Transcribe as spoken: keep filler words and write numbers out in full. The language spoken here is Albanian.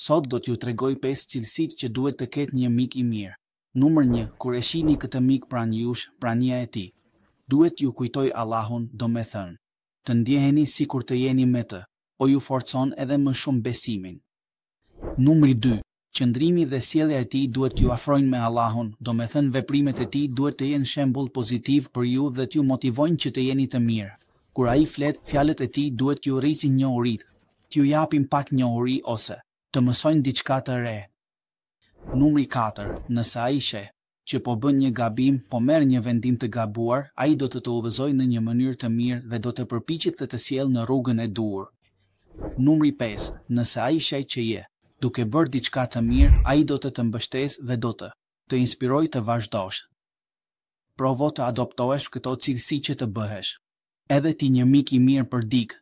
Sot do t'ju tregoj pesë cilësitë që duhet të ketë një mik i mirë. Numër një, kur e shihni këtë mik pranë jush, prania e tij duhet t'ju kujtojë Allahun, domethënë, të ndjeheni sikur të jeni me të, po ju forcon edhe më shumë besimin. Numri dy, qëndrimi dhe sjellja e tij duhet t'ju afrojnë me Allahun, domethënë veprimet e tij duhet të jenë shembull pozitiv për ju dhe t'ju motivojnë që të jeni të mirë. Kur ai flet, fjalët e tij duhet t'ju rrisin njohuritë, t'ju japin pak njohuri ose të mësojnë diçka të re. Numri katër, nëse ai sheh që po bën një gabim, po merr një vendim të gabuar, ai do të të udhëzojë në një mënyrë të mirë dhe do të përpiqet të të sjellë në rrugën e duhur. Numri pesë, nëse ai sheh që je duke bërë diçka të mirë, ai do të të mbështesë dhe do të të inspirojë të vazhdosh. Provo të adoptohesh këto cilësi që të bëhesh edhe ti një mik i mirë për dikë.